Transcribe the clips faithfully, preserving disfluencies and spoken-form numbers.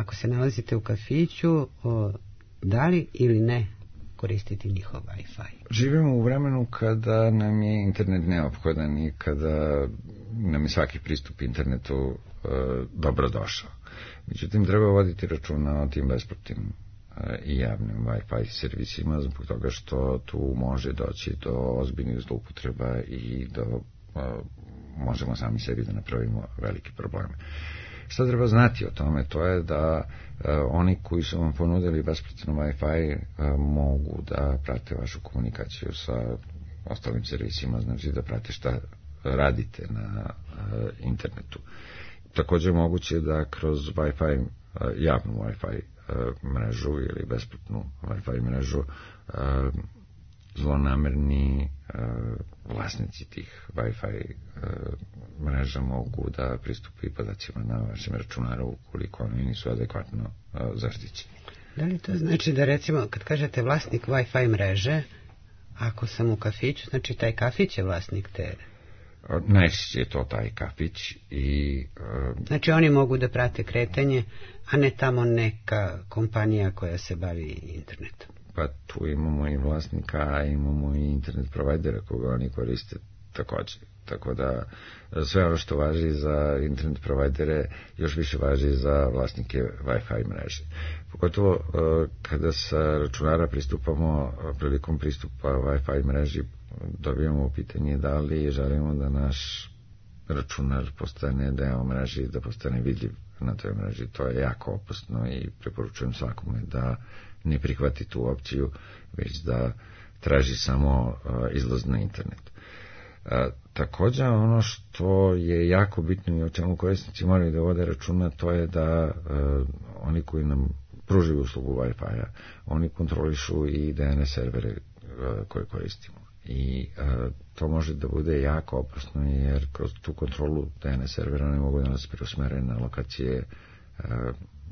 ako se nalazite u kafiću, o, da li ili ne koristiti njihov Wi-Fi? Živimo u vremenu kada nam je internet neophodan i kada nam je svaki pristup internetu e, dobro došao. Međutim, treba voditi računa o tim besplatnim e, i javnim Wi-Fi servisima, zbog toga što tu može doći do ozbiljnih zloupotreba i do e, možemo sami sebi da napravimo velike probleme. Šta treba znati o tome? To je da e, oni koji su vam ponudili besplatno Wi-Fi e, mogu da prate vašu komunikaciju sa ostalim servisima, znači da prate šta radite na e, internetu. Također moguće da kroz Wi-Fi, e, javnu Wi-Fi e, mrežu ili besplatnu Wi-Fi mrežu e, zlonamerni e, vlasnici tih Wi-Fi e, mreža mogu da pristupi podacima na vašem računaru ukoliko oni nisu adekvatno e, zaštićeni. Da li to znači da, recimo, kad kažete vlasnik Wi-Fi mreže, ako sam u kafiću, znači taj kafić je vlasnik te? Najčešće je to taj kafić i... E, znači oni mogu da prate kretanje, a ne tamo neka kompanija koja se bavi internetom. Pa tu imamo i vlasnika, a imamo i internet provajdera koga oni koriste također. Tako da sve ono što važi za internet provajdere još više važi za vlasnike Wi-Fi mreže. Pogotovo kada sa računara pristupamo, prilikom pristupa Wi-Fi mreži dobijamo pitanje da li želimo da naš računar postane deo mreži, da postane vidljiv na toj mreži. To je jako opasno i preporučujem svakome da ne prihvati tu opciju, već da traži samo uh, izlaz na internet. Uh, također ono što je jako bitno i o čemu korisnici moraju da vode računa, to je da uh, oni koji nam pružaju uslugu Wi-Fi-a, oni kontrolišu i D N S servere uh, koje koristimo. I uh, to može da bude jako opasno, jer kroz tu kontrolu D N S servera ne mogu da nas preusmere na lokacije uh,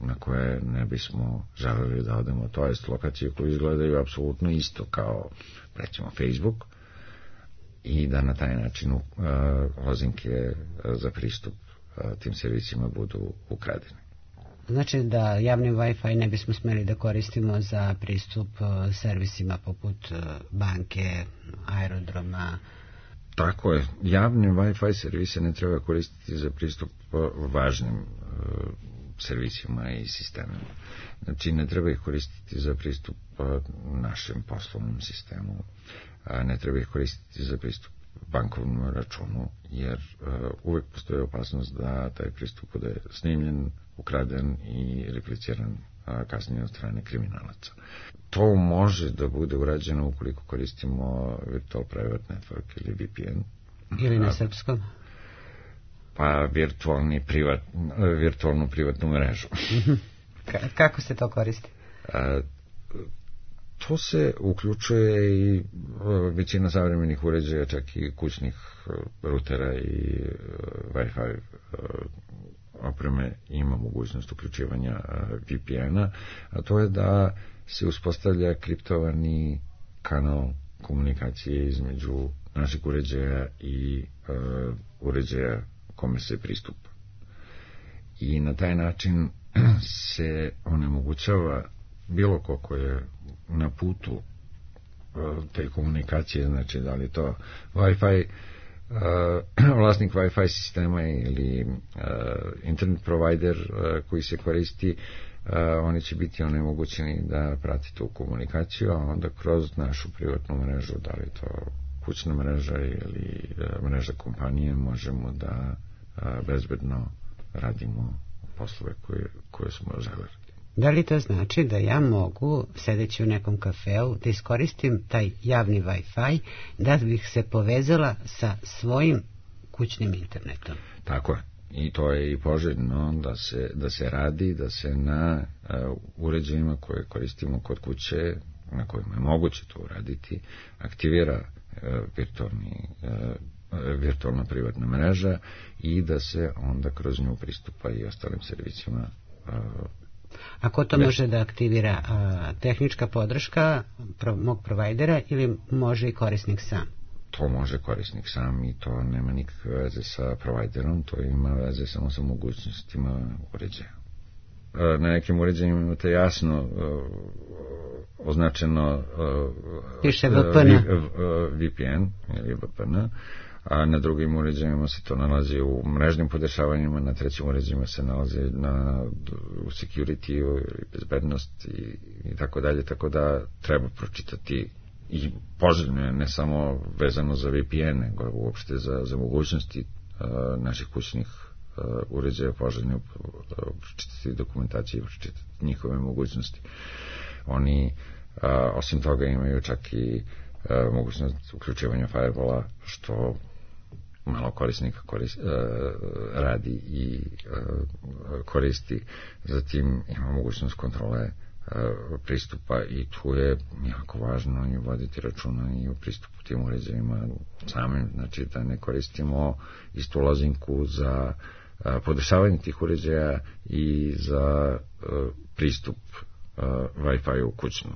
na koje ne bismo želeli da odemo, to jest lokacije koje izgledaju apsolutno isto kao, recimo, Facebook, i da na taj način uh, lozinke za pristup uh, tim servisima budu ukradene. Znači da javni Wi-Fi ne bismo smeli da koristimo za pristup uh, servisima poput uh, banke, aerodroma? Tako je. Javne Wi-Fi servise ne treba koristiti za pristup uh, važnim uh, servisima i sistemima. Znači, ne treba ih koristiti za pristup našem poslovnom sistemu, ne treba ih koristiti za pristup bankovnom računu, jer uh, uvek postoji opasnost da taj pristup bude snimljen, ukraden i repliciran uh, kasnije od strane kriminalaca. To može da bude urađeno ukoliko koristimo Virtual Private Network ili V P N. Ili na srpskom? Pa virtualni privat, virtualnu privatnu mrežu. K- kako se to koristi? A, to se uključuje i većina savremenih uređaja, čak i kućnih rutera i Wi-Fi opreme ima mogućnost uključivanja V P N-a, a to je da se uspostavlja kriptovani kanal komunikacije između našeg uređaja i uh, uređaja kome se pristupa. I na taj način se onemogućava bilo ko ko je na putu uh, te komunikacije, znači da li to Wi-Fi, uh, vlasnik Wi-Fi sistema ili uh, internet provider uh, koji se koristi, uh, oni će biti onemogućeni da prati tu komunikaciju, a onda kroz našu privatnu mrežu, da li to kućna mreža ili uh, mreža kompanije, možemo da uh, bezbedno radimo poslove koje, koje smo želeli. Da li to znači da ja mogu, sedeći u nekom kafeu, da iskoristim taj javni Wi-Fi da bih se povezala sa svojim kućnim internetom? Tako je. I to je i poželjno da se, da se radi, da se na uh, uređajima koje koristimo kod kuće, na kojima je moguće to uraditi, aktivira uh, virtualni, uh, virtualna privatna mreža i da se onda kroz nju pristupa i ostalim servisima. Uh, A ko to ne. može da aktivira? A, tehnička podrška pro, mog provajdera ili može i korisnik sam? To može korisnik sam i to nema nikakve veze sa provajderom, to ima veze samo sa mogućnostima uređaja. na nekim uređajima imate jasno označeno piše V P N V P N ili V P N, a na drugim uređajima se to nalazi u mrežnim podešavanjima, na trećim uređajima se nalazi na, u security ili bezbednost i, i tako dalje, tako da treba pročitati i poželjno je ne samo vezano za V P N, nego uopšte za, za mogućnosti uh, naših kućnih uh, uređaja, poželjno uh, pročitati dokumentaciju i pročitati njihove mogućnosti. Oni uh, osim toga imaju čak i uh, mogućnost uključivanja firewalla, što malo korisnika koris, uh, radi i uh, koristi. Zatim ima mogućnost kontrole uh, pristupa i tu je jako važno i voditi računa i u pristupu tim uređajima samim, znači da ne koristimo istu lozinku za uh, podešavanje tih uređaja i za uh, pristup uh, Wi-Fi u kućnom.